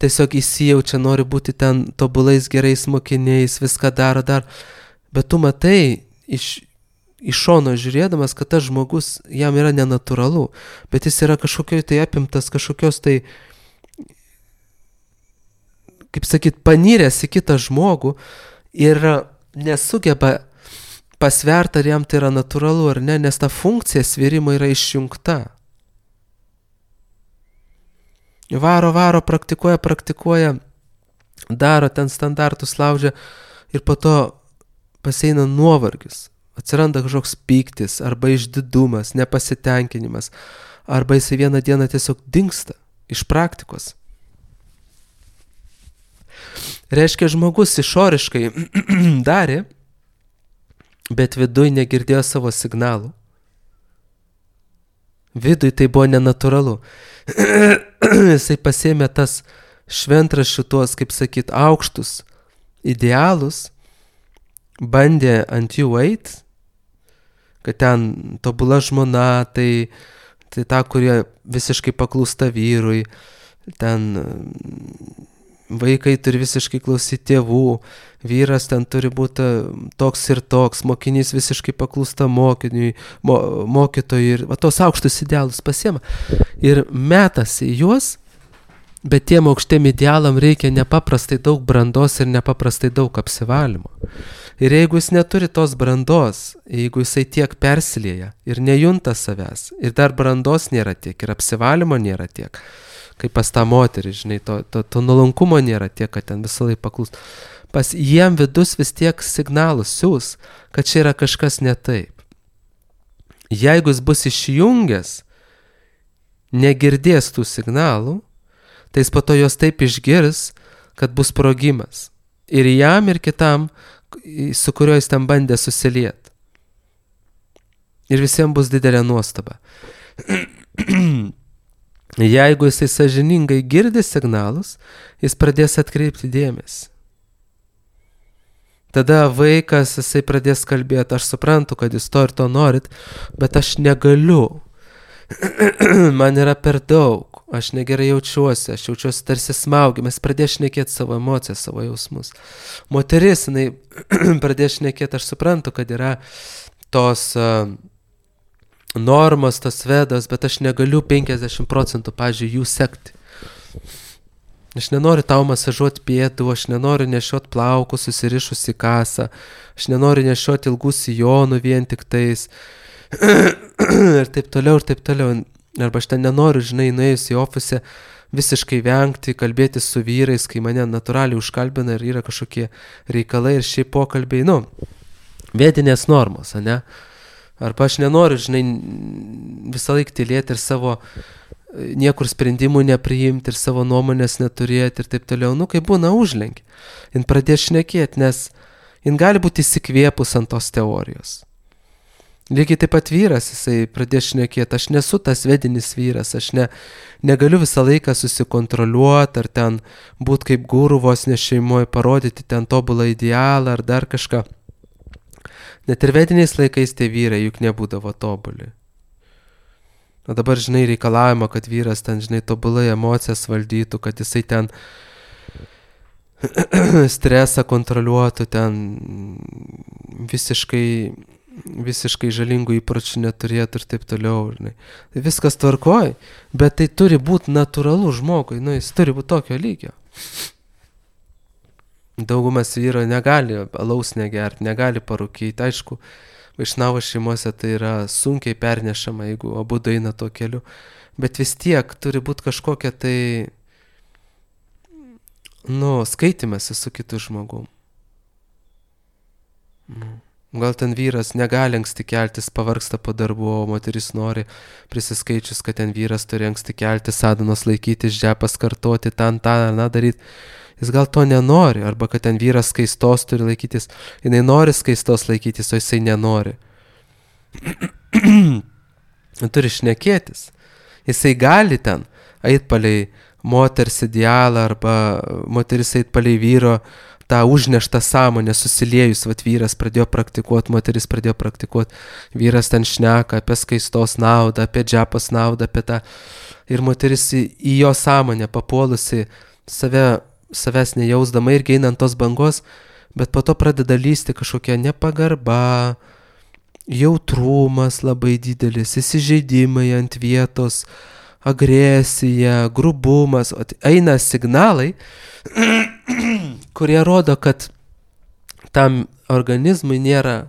tiesiog įsijaučia, nori būti ten tobulais gerais mokiniais, viską daro dar, bet tu matai iš šono žiūrėdamas, kad tas žmogus, jam yra nenatūralu, bet jis yra kažkokioj tai apimtas, kažkokios tai, kaip sakyt, panyręs į kitą žmogų ir nesugeba pasverti, ar jam tai yra natūralu ar ne, nes ta funkcija svėrimo yra išjungta. Varo, praktikuoja, daro ten standartus, laužia ir po to pasieina nuovargis. Atsiranda kažkoks pyktis, arba išdidumas, nepasitenkinimas, arba jisai vieną dieną tiesiog dingsta iš praktikos. Reiškia, žmogus išoriškai darė, bet viduj negirdėjo savo signalų. Viduj tai buvo nenatūralu. Jisai pasėmė tas šventraščių tuos, kaip sakyt, aukštus idealus, bandė ant jų eit, kad ten tobula žmona, tai ta, kurie visiškai paklūsta vyrui, ten vaikai turi visiškai klausyti tėvų, vyras ten turi būti toks ir toks, mokinys visiškai paklūsta mokytojui ir tos aukštus idealus pasiema ir metasi juos, bet tiem aukštiem idealam reikia nepaprastai daug brandos ir nepaprastai daug apsivalymo. Ir jeigu jis neturi tos brandos, jeigu jisai tiek persilieja ir nejunta savęs, ir dar brandos nėra tiek, ir apsivalymo nėra tiek, kaip pas tą moterį, žinai, to nuolankumo nėra tiek, kad ten visą laiką paklūsta. Pas jiem vidus vis tiek signalus siūs, kad čia yra kažkas ne taip. Jeigu jis bus išjungęs, negirdės tų signalų, tai jis po to jos taip išgirs, kad bus sprogimas. Ir jam, ir kitam, su kuriuo jis ten bandė susilieti. Ir visiems bus didelė nuostaba. Jeigu jisai sąžiningai girdi signalus, jis pradės atkreipti dėmesį. Tada vaikas, jisai pradės kalbėti, aš suprantu, kad jūs to ir to norit, bet aš negaliu. Man yra per daug, aš negerai jaučiuosi, aš jaučiuosi tarsi smaugiamas, pradės šnekėti savo emocijas, savo jausmus. Moteris, jinai pradės šnekėti, aš suprantu, kad yra tos normos, tos vedos, bet aš negaliu 50%, pavyzdžiui, jų sekti. Aš nenoriu tau masažuoti pėdų, aš nenoriu nešioti plaukų susirišus į kasą, aš nenoriu nešioti ilgų sijonų vien tik tais ir taip toliau, ir taip toliau. Arba aš ten nenoriu, žinai, nuėjus į ofisę visiškai vengti, kalbėti su vyrais, kai mane natūraliai užkalbina ir yra kažkokie reikalai ir šiaip pokalbiai, vedinės normos, ne? Arba aš nenoriu, žinai, visą laiką tylėti ir savo niekur sprendimų nepriimti ir savo nuomonės neturėti ir taip toliau. Kai būna užlenki, jin pradės šnekėti, nes jin gali būti įsikvėpus ant tos teorijos. Lygiai taip pat vyras, jisai pradės šnekėti, aš nesu tas vedinis vyras, aš negaliu visą laiką susikontroliuoti ar ten būti kaip guru vos ne šeimoje, parodyti ten tobulą idealą ar dar kažką. Net ir vediniais laikais tie vyrai juk nebūdavo tobuli. O dabar, žinai, reikalavimo, kad vyras ten, žinai, tobulai emocijas valdytų, kad jisai ten stresą kontroliuotų, ten visiškai žalingų įpročių neturėtų ir taip toliau. Žinai. Viskas tvarkoj, bet tai turi būti natūralu žmogui, jis turi būti tokio lygio. Daugumas vyro negali alaus negerti, negali parūkyti. Aišku, vaišnavo šeimose tai yra sunkiai pernešama, jeigu abu eina tuo keliu. Bet vis tiek turi būti kažkokia tai, skaitymasi su kitu žmogum. Gal ten vyras negali anksti keltis, pavargsta po darbo, o moteris nori prisiskaičius, kad ten vyras turi anksti keltis, sadanos laikytis, džepas kartoti, daryti. Jis gal to nenori, arba kad ten vyras skaistos turi laikytis, jinai nori skaistos laikytis, o jisai nenori. Turi šnekėtis. Jisai gali ten eit palei moters idealą, arba moteris eit palei vyro tą užneštą sąmonę susiliejus, vyras pradėjo praktikuoti, moteris pradėjo praktikuoti, vyras ten šneka apie skaistos naudą, apie džepos naudą, apie tą, ir moteris į jo sąmonę papuolusi savęs nejausdama irgi einant tos bangos, bet po to pradeda lysti kažkokia nepagarba, jautrumas labai didelis, įsižeidimai ant vietos, agresija, grubumas, eina signalai, kurie rodo, kad tam organizmui nėra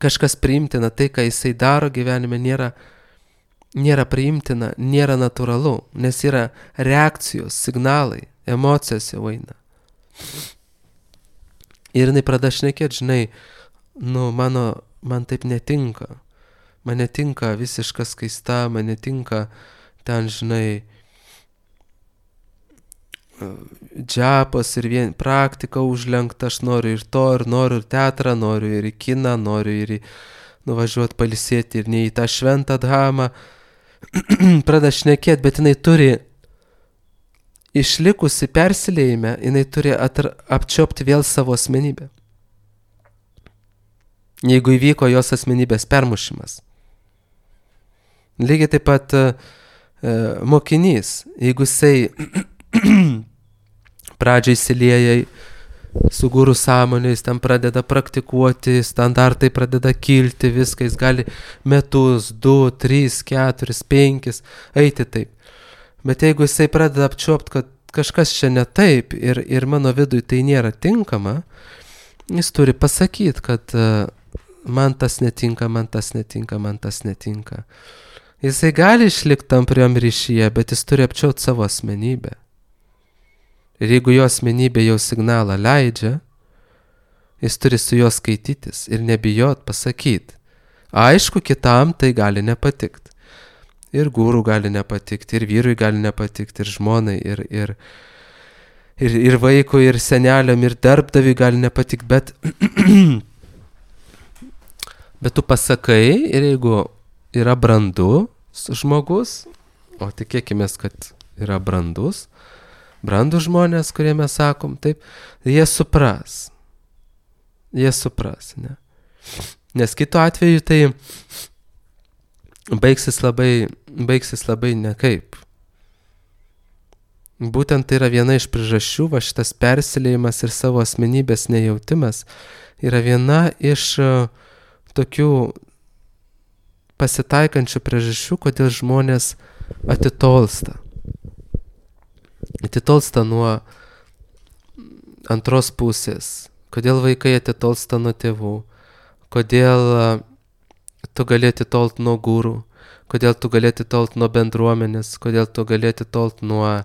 kažkas priimtina, tai, ką jisai daro gyvenime, nėra priimtina, nėra natūralu, nes yra reakcijos, signalai, emocijos jau eina. Ir jinai pradeda šnekėti, žinai, man taip netinka. Man netinka visiška skaista, man netinka ten, žinai, džapas ir praktika užlenkta, aš noriu ir to, ir noriu ir teatrą, noriu ir į kiną, noriu ir nuvažiuoti palisėti ir ne į tą šventą dhamą. Pradeda šnekėti, bet jinai turi išlikusi persilėjime, jinai turi apčiopti vėl savo asmenybę. Jeigu įvyko jos asmenybės permušimas. Lygiai taip pat mokinys, jeigu jisai pradžiai įsilieja su guru sąmonė, jis ten pradeda praktikuoti, standartai pradeda kilti, viską, jis gali metus, 2, 3, 4, 5 eiti taip. Bet jeigu jisai pradeda apčiuopti, kad kažkas čia ne taip ir mano vidui tai nėra tinkama, jis turi pasakyti, kad man tas netinka, man tas netinka, man tas netinka. Jisai gali išlikti tampriam ryšyje, bet jis turi apčiuopti savo asmenybę. Ir jeigu jo asmenybė jau signalą leidžia, jis turi su juo skaitytis ir nebijot pasakyti. Aišku, kitam tai gali nepatikti. Ir guru gali nepatikti, ir vyrui gali nepatikti, ir žmonai, ir vaikui, ir seneliam, ir darbdaviui gali nepatikti, bet Bet tu pasakai ir jeigu yra brandus žmogus, o tikėkime, kad yra brandus žmonės, kurie mes sakom, taip, jie supras, ne? Nes kitu atveju tai baigsis labai nekaip. Būtent tai yra viena iš priežasčių, va šitas persiliejimas ir savo asmenybės nejautimas yra viena iš tokių pasitaikančių priežasčių, kodėl žmonės atitolsta. Atitolsta nuo antros pusės, kodėl vaikai atitolsta nuo tėvų, kodėl tu gali atitolt nuo gūrų, kodėl tu gali atitolt nuo bendruomenės, kodėl tu gali atitolt nuo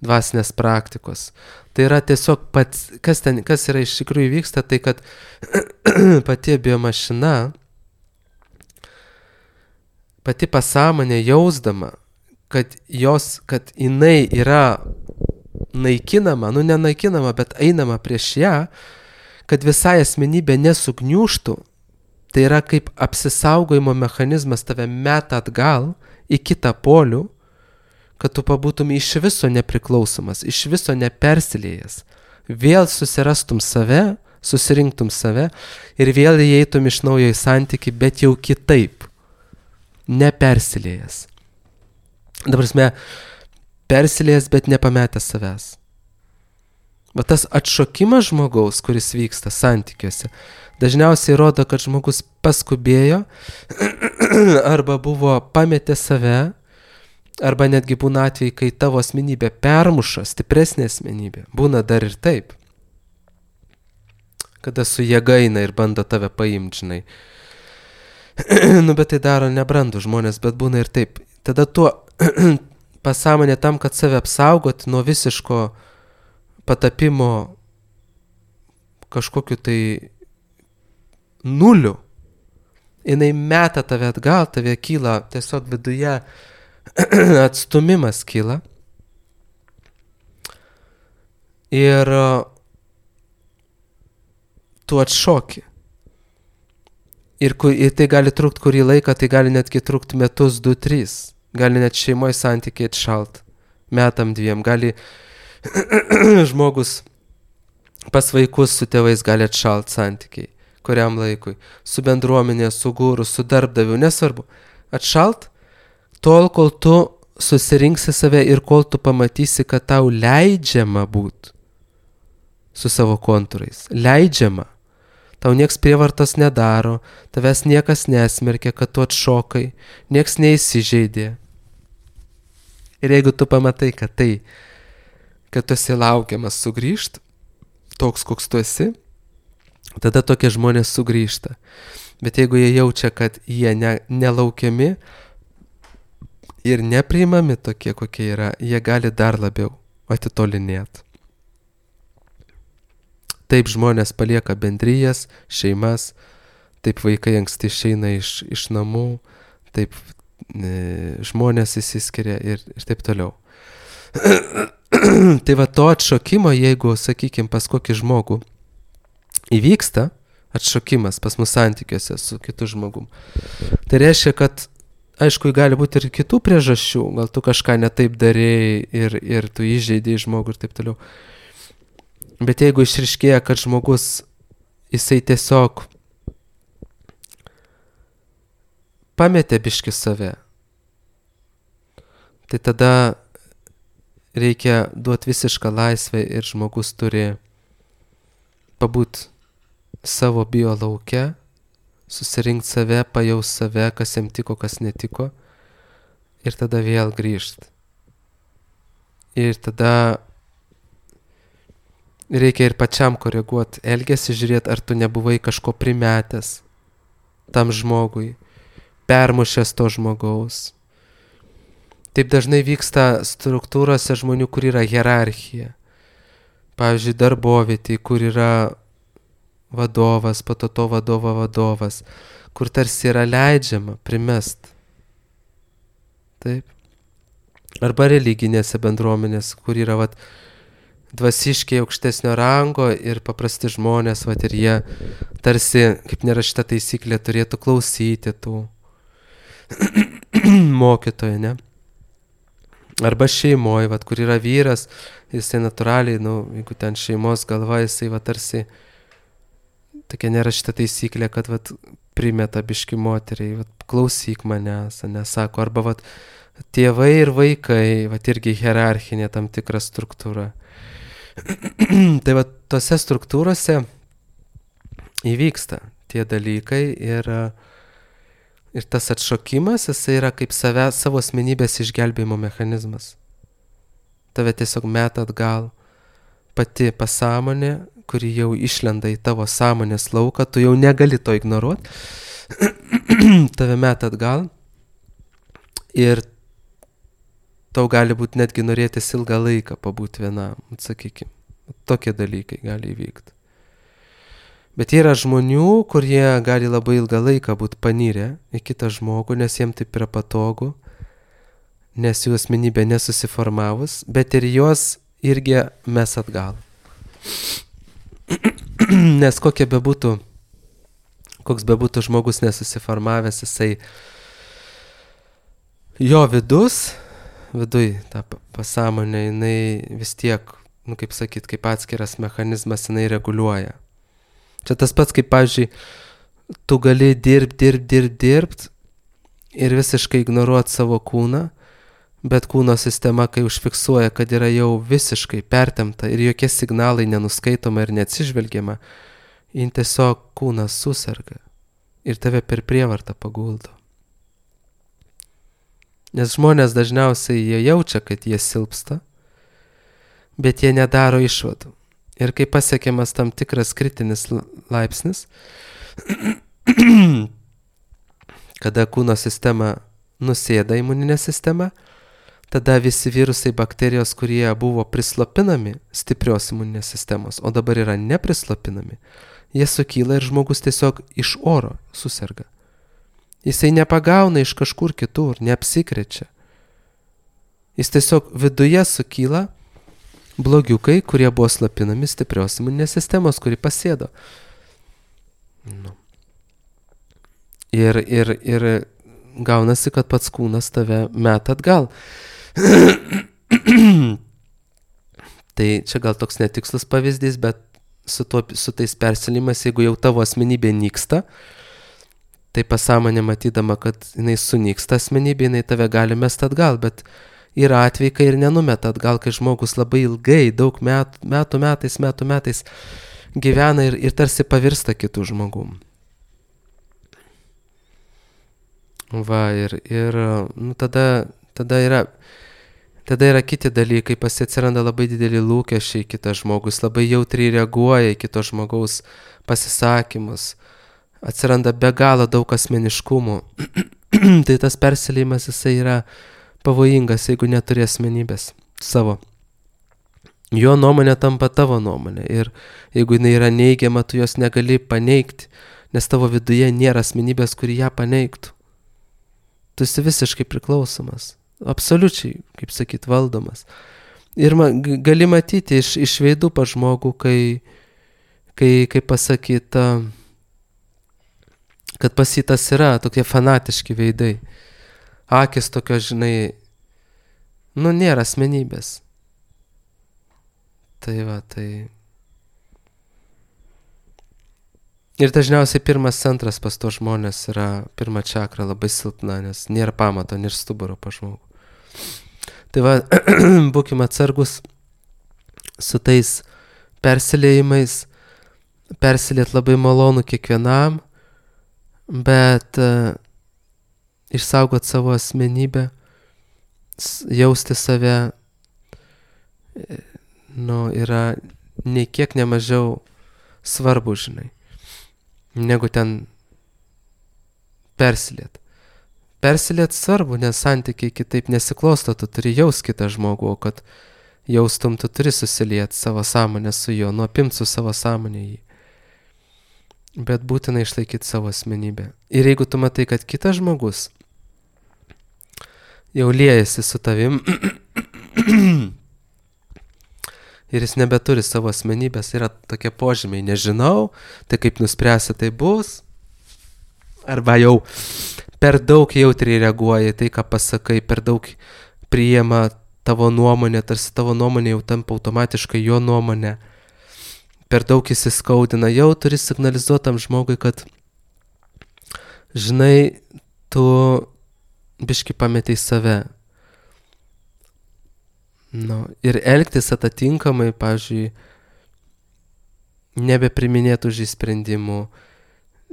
dvasinės praktikos. Tai yra tiesiog pats, kas yra iš tikrųjų vyksta, tai kad pati biomašina, pati pasąmonė jausdama, kad jinai yra naikinama, nenaikinama, bet einama prieš ją, kad visai asmenybė nesugniūštų, tai yra kaip apsisaugojimo mechanizmas tave meta atgal į kitą polių, kad tu pabūtum iš viso nepriklausomas, iš viso nepersilėjęs, vėl susirastum save, susirinktum save ir vėl įeitum iš naujo į santykį, bet jau kitaip, nepersilėjęs. Dabar prasme, persilėjęs, bet nepametęs savęs. Va tas atšokimas žmogaus, kuris vyksta santykiuose, dažniausiai rodo, kad žmogus paskubėjo arba buvo pametę save, arba netgi būna atvejai, kai tavo asmenybė permuša, stipresnė asmenybė. Būna dar ir taip. Kada su jėga eina ir bando tave paimti, žinai. Bet tai daro nebrandų žmonės, bet būna ir taip. Tada tuo pasąmonė tam, kad save apsaugoti nuo visiško patapimo kažkokiu tai nuliu, jinai meta tave atgal, tave kyla tiesiog viduje atstumimas kyla. Ir tu atšoki. Ir tai gali trukti kurį laiką, tai gali netgi trukti metus, 2, 3. Gali net šeimoje santykiai atšalt. Metam 2. Gali žmogus pas vaikus su tėvais gali atšalt santykiai. Kuriam laikui. Su bendruomenė, su gūru, su darbdaviu. Nesvarbu. Atšalt tol, kol tu susirinksi save ir kol tu pamatysi, kad tau leidžiama būt su savo kontūrais. Leidžiama. Tau nieks prievartos nedaro, tavęs niekas nesmerkia, kad tu atšokai, nieks neįsižeidė. Ir jeigu tu pamatai, kad tu esi laukiamas sugrįžt, toks, koks tu esi, tada tokie žmonės sugrįžta. Bet jeigu jie jaučia, kad jie nelaukiami ir nepriimami tokie, kokie yra, jie gali dar labiau atitolinėti. Taip žmonės palieka bendrijas, šeimas, taip vaikai anksti išeina iš namų, taip žmonės įsiskiria ir taip toliau. Tai va to atšokimo, jeigu, sakykime, pas kokį žmogų įvyksta atšokimas pas mus santykiuose su kitu žmogum, tai reiškia, kad aišku, gali būti ir kitų priežasčių, gal tu kažką netaip darėjai ir tu įžeidėjai žmogų ir taip toliau. Bet jeigu išriškėja, kad žmogus, jisai tiesiog pametė biškį save, tai tada reikia duoti visišką laisvę ir žmogus turi pabūt savo bio lauke, susirinkti save, pajaus save, kas jam tiko, kas netiko ir tada vėl grįžti. Ir tada reikia ir pačiam koreguoti elgesį, žiūrėti, ar tu nebuvai kažko primetęs tam žmogui, permušęs to žmogaus. Taip dažnai vyksta struktūrose žmonių, kur yra hierarchija. Pavyzdžiui, darbovietėje, kur yra vadovas, po to vadovo vadovas, kur tarsi yra leidžiama primest. Taip. Arba religinėse bendruomenės, kur yra dvasiškiai aukštesnio rango ir paprasti žmonės, vat ir jie tarsi, kaip nerašyta taisyklė, turėtų klausyti tų mokytojų, ne? Arba šeimoje, vat, kur yra vyras, jisai natūraliai, jeigu ten šeimos galva, jisai va tarsi tokia nerašyta taisyklė, kad vat primeta biški moteriai, vat klausyk manęs, nesako, arba vat tėvai ir vaikai, vat irgi hierarchinė tam tikra struktūra. Tai vat tose struktūrose įvyksta tie dalykai ir tas atšokimas, jisai yra kaip savo asmenybės išgelbėjimo mechanizmas. Tave tiesiog meta atgal pati pasąmonė, kuri jau išlenda į tavo sąmonės lauką, tu jau negali to ignoruoti, tave meta atgal ir tau gali būti netgi norėtis ilgą laiką pabūti vienam, sakykime. Tokie dalykai gali įvykti. Bet yra žmonių, kurie gali labai ilgą laiką būti panirę į kitą žmogų, nes jiems taip yra patogu, nes jų asmenybė nesusiformavus, bet ir jos irgi mes atgal. Nes koks bebūtų žmogus nesusiformavęs, jisai jo viduj ta pasąmonė, jinai vis tiek, kaip sakyt, kaip atskiras mechanizmas, jinai reguliuoja. Čia tas pats, kaip, pavyzdžiui, tu gali dirbt ir visiškai ignoruoti savo kūną, bet kūno sistema, kai užfiksuoja, kad yra jau visiškai pertempta ir jokie signalai nenuskaitoma ir neatsižvelgiama, jin tiesiog kūnas suserga ir tave per prievartą paguldo. Nes žmonės dažniausiai jie jaučia, kad jie silpsta, bet jie nedaro išvadų. Ir kai pasiekiamas tam tikras kritinis laipsnis, kada kūno sistema nusėda imuninė sistema, tada visi virusai, bakterijos, kurie buvo prislopinami stiprios imuninės sistemos, o dabar yra neprislopinami, jie sukyla ir žmogus tiesiog iš oro suserga. Jisai nepagauna iš kažkur kitur, neapsikrečia. Jis tiesiog viduje sukyla blogiukai, kurie buvo slopinami stiprios imuninės sistemos, kuri pasėdo. Ir gaunasi, kad pats kūnas tave meta atgal. Tai čia gal toks netikslus pavyzdys, bet su tais persilimais, jeigu jau tavo asmenybė nyksta, tai pasąmonė matydama, kad jinai sunyksta asmenybė, jinai tave gali mesti atgal, bet yra atvejai, kai ir nenumeta atgal, kai žmogus labai ilgai, daug metų metais gyvena ir tarsi pavirsta kitų žmogum. Va, ir tada yra kiti dalykai, atsiranda labai dideli lūkesčiai kitas žmogus, labai jautriai reaguoja į kito žmogaus pasisakymus, atsiranda be galo daug asmeniškumų. Tai tas persiliejimas, jisai yra pavojingas, jeigu neturi asmenybės savo. Jo nuomonė tampa tavo nuomonė ir jeigu jinai yra neigiama, tu jos negali paneigti, nes tavo viduje nėra asmenybės, kuri ją paneigtų. Tu esi visiškai priklausomas, absoliučiai, kaip sakyt, valdomas. Ir gali matyti iš veidų pa žmogų, kai pasakyta, kad pasitas yra tokie fanatiški veidai. Akis tokios, žinai, nėra asmenybės. Tai va, tai. Ir dažniausiai pirmas centras pas to žmonės yra pirma čakra labai silpna, nes nėra pamato, nėra stuburo pa žmogų. Tai va, būkime atsargus su tais persiliejimais. Persiliet labai malonu kiekvienam, bet išsaugot savo asmenybę, jausti save, yra nei kiek nemažiau svarbu, žinai, negu ten persiliet. Persiliet svarbu, nes santykiai kitaip nesiklosto, tu turi jaust kitą žmogų, o kad jaustum, tu turi susiliet savo sąmonę su juo, nuopimti su savo sąmonė jį. Bet būtina išlaikyti savo asmenybę. Ir jeigu tu matai, kad kitas žmogus jau liejasi su tavim ir jis nebeturi savo asmenybės, yra tokie požymiai, nežinau, tai kaip nuspręsi, tai bus, arba jau per daug jautriai reaguoja į tai, ką pasakai, per daug priima tavo nuomonę, tarsi tavo nuomonė jau tampa automatiškai jo nuomonė, per daug įsiskaudina, jau turi signalizuotam žmogui, kad žinai, tu biški pametei save. Ir elgtis atitinkamai, pavyzdžiui, nebepriminėtų už sprendimų,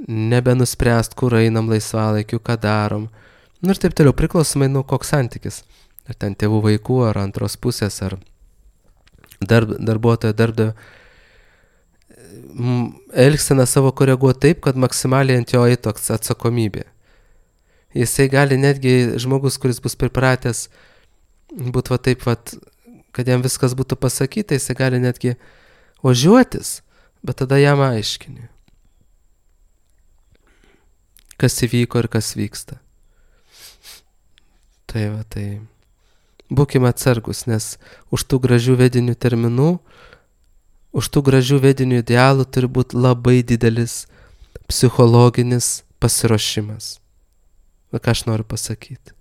nebenuspręst, kur einam laisvalaikiu, ką darom. Ir taip toliau, priklausomai nuo koks santykis. Ar ten tėvų vaikų, ar antros pusės, ar darbuotojo darbdavio. Elgsena savo koreguoti taip, kad maksimaliai ant jo eitų atsakomybė. Jisai gali netgi žmogus, kuris bus pripratęs būt taip, kad jam viskas būtų pasakyta, jisai gali netgi ožiuotis, bet tada jam aiškini, kas įvyko ir kas vyksta. Tai būkime atsargus, nes už tų gražių vedinių terminų, už tų gražių vedinių idealų turi būti labai didelis psichologinis pasiruošimas. Ką aš noriu pasakyti?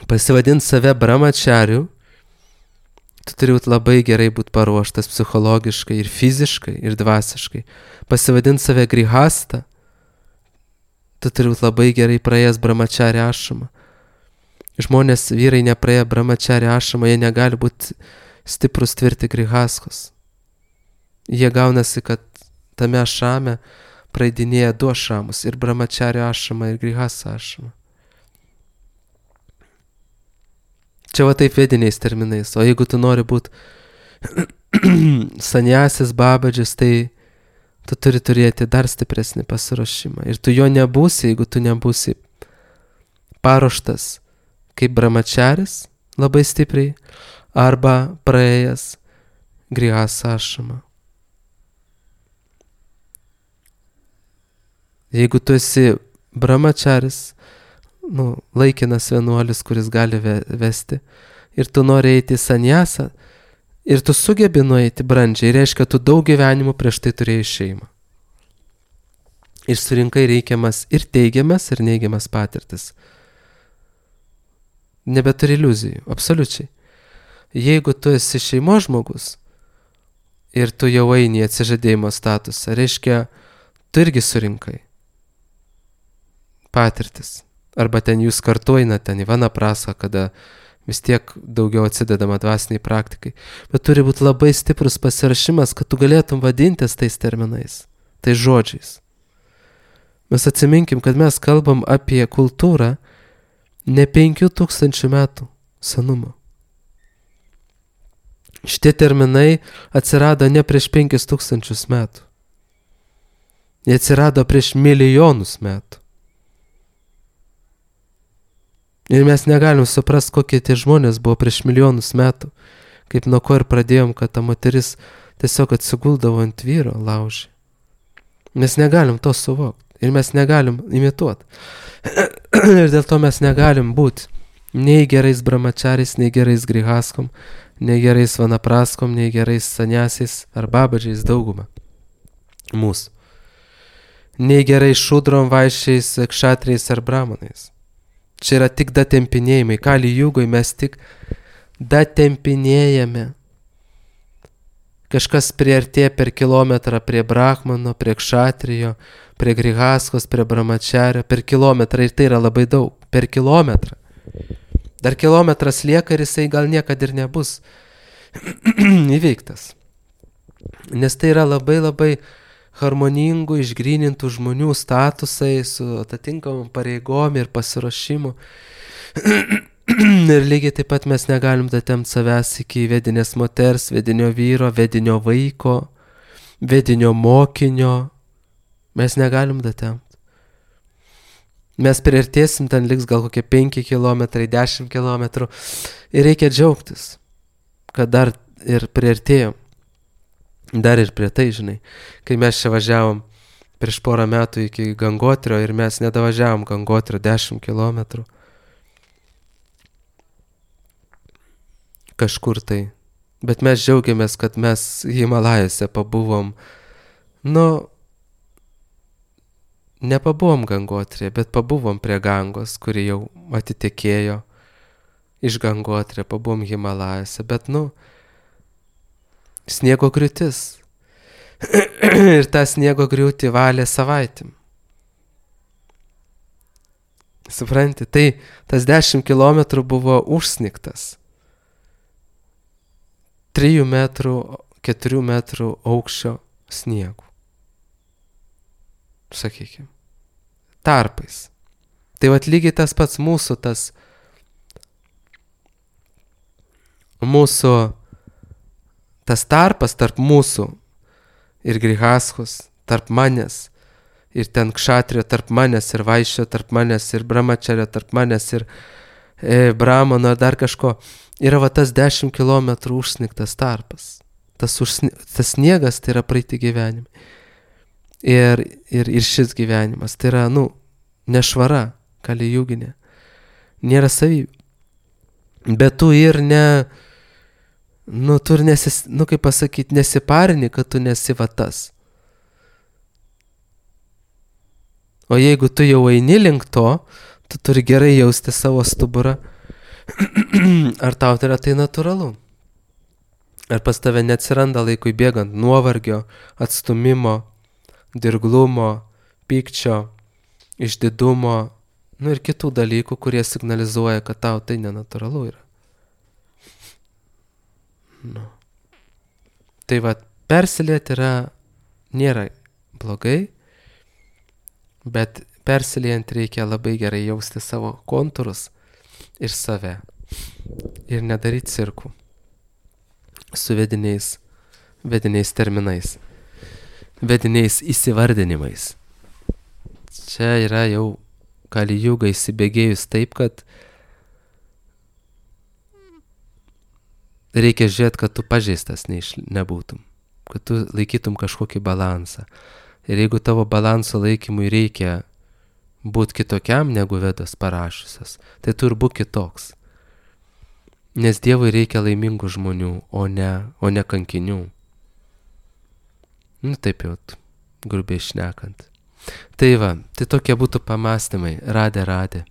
Pasivadinti save brahmachariu, tu turi labai gerai būti paruoštas psichologiškai ir fiziškai ir dvasiškai. Pasivadinti save grihasta, tu turi būti labai gerai praėjęs brahmachari ašramą. Žmonės, vyrai nepraėję brahmachari ašramą, jie negali būti stiprus tvirti grihaskos. Jie gaunasi, kad tame ašrame praeidinėja du ašramus, ir brahmachari ašramą, ir grihasta ašramą. Čia taip vediniais terminais, o jeigu tu nori būti sanjasis babadžis, tai tu turi turėti dar stipresnį pasiruošimą. Ir tu jo nebūsi, jeigu tu nebūsi paruoštas kaip brahmacharis labai stipriai, arba praėjęs grihasta ašramą. Jeigu tu esi brahmacharis, laikinas vienuolis, kuris gali vesti, ir tu nori eiti į sanjasą, ir tu sugebi nueiti brandžiai, reiškia, tu daug gyvenimų prieš tai turėjai šeimą. Ir surinkai reikiamas ir teigiamas, ir neigiamas patirtis. Nebeturi iliuzijų, absoliučiai. Jeigu tu esi šeimos žmogus, ir tu jau eini į atsižadėjimo statusą, reiškia, tu irgi surinkai patirtis. Arba ten jūs kartu einate ten į vanaprasą, kada vis tiek daugiau atsidedama dvasiniai praktikai. Bet turi būti labai stiprus pasirašymas, kad tu galėtum vadintis tais terminais, tais žodžiais. Mes atsiminkim, kad mes kalbam apie kultūrą ne 5000 metų senumo. Šitie terminai atsirado ne prieš 5000 metų. Jie atsirado prieš milijonus metų. Ir mes negalim suprasti, kokie tie žmonės buvo prieš milijonus metų, kaip nuo ko ir pradėjom, kad ta moteris tiesiog atsiguldavo ant vyro laužį. Mes negalim to suvokti ir mes negalim imituoti. Ir dėl to mes negalim būti nei gerais brahmacharis, nei gerais grihaskom, nei gerais vanapraskom, nei gerais sanyasiais ar babadžiais daugumą mūsų. Nei gerais šudrom, vaišiais, kšatriais ar brahmanais. Čia yra tik datempinėjimai. Kali jugoj mes tik datempinėjame. Kažkas priartėja per kilometrą prie brahmano, prie kšatrijo, prie grihaskos, prie brahmachario, per kilometrą, ir tai yra labai daug. Per kilometrą. Dar kilometras lieka ir jisai gal niekad ir nebus įveiktas. Nes tai yra labai labai harmoningų, išgrynintų žmonių statusai su atitinkamom pareigom ir pasiruošimu. Ir lygiai taip pat mes negalim datemti savęs iki vedinės moters, vedinio vyro, vedinio vaiko, vedinio mokinio. Mes negalim datemti. Mes priartėsim, ten liks gal kokie 5 km, 10 km. Ir reikia džiaugtis, kad dar ir priartėjom. Dar ir prie tai, žinai, kai mes čia važiavom prieš porą metų iki Gangotrio ir mes nedavažiavom Gangotrio 10 km. kažkur tai. Bet mes džiaugiamės, kad mes Himalajose pabuvom. Nepabuvom Gangotrėje, bet pabuvom prie Gangos, kuri jau atitekėjo iš Gangotrė, pabuvom Himalajose, bet sniego griūtis. Ir tą sniego griūtį valė savaitėm. Supranti, tai tas 10 kilometrų buvo užsnigtas. 3 metrų, 4 metrų aukščio sniegų. Sakykime. Tarpais. Tai vat lygiai tas pats mūsų tas tarpas tarp mūsų ir Grihaschos, tarp manęs, ir ten Kšatrijo tarp manęs, ir Vaišio tarp manęs, ir Brahmačario tarp manęs, ir Brahmano, ar dar kažko, yra va tas 10 kilometrų užsnigtas tarpas. Tas sniegas tai yra praeiti gyvenimai. Ir šis gyvenimas, tai yra, nešvara, kalijuginė, nėra savybė. Bet tu ir tu ir kaip pasakyti, nesiparini, kad tu nesi va tas. O jeigu tu jau eini link to, tu turi gerai jausti savo stuburą. Ar tau tai yra tai natūralu? Ar pas tave neatsiranda laikui bėgant nuovargio, atstumimo, dirglumo, pykčio, išdidumo, ir kitų dalykų, kurie signalizuoja, kad tau tai nenatūralu yra. Tai va, persilieti nėra blogai, bet persiliejant reikia labai gerai jausti savo kontūrus ir save. Ir nedaryti cirkų su vediniais terminais, vediniais įsivardinimais. Čia yra jau Kalijuga įsibėgėjus taip, kad reikia žiūrėti, kad tu pažeistas nebūtum, kad tu laikytum kažkokį balansą. Ir jeigu tavo balanso laikymui reikia būti kitokiam negu Vedos parašusios, tai tu ir būk kitoks. Nes Dievui reikia laimingų žmonių, o ne kankinių. Taip jau, grubiai šnekant. Tai va, tai tokie būtų pamąstymai. Radė.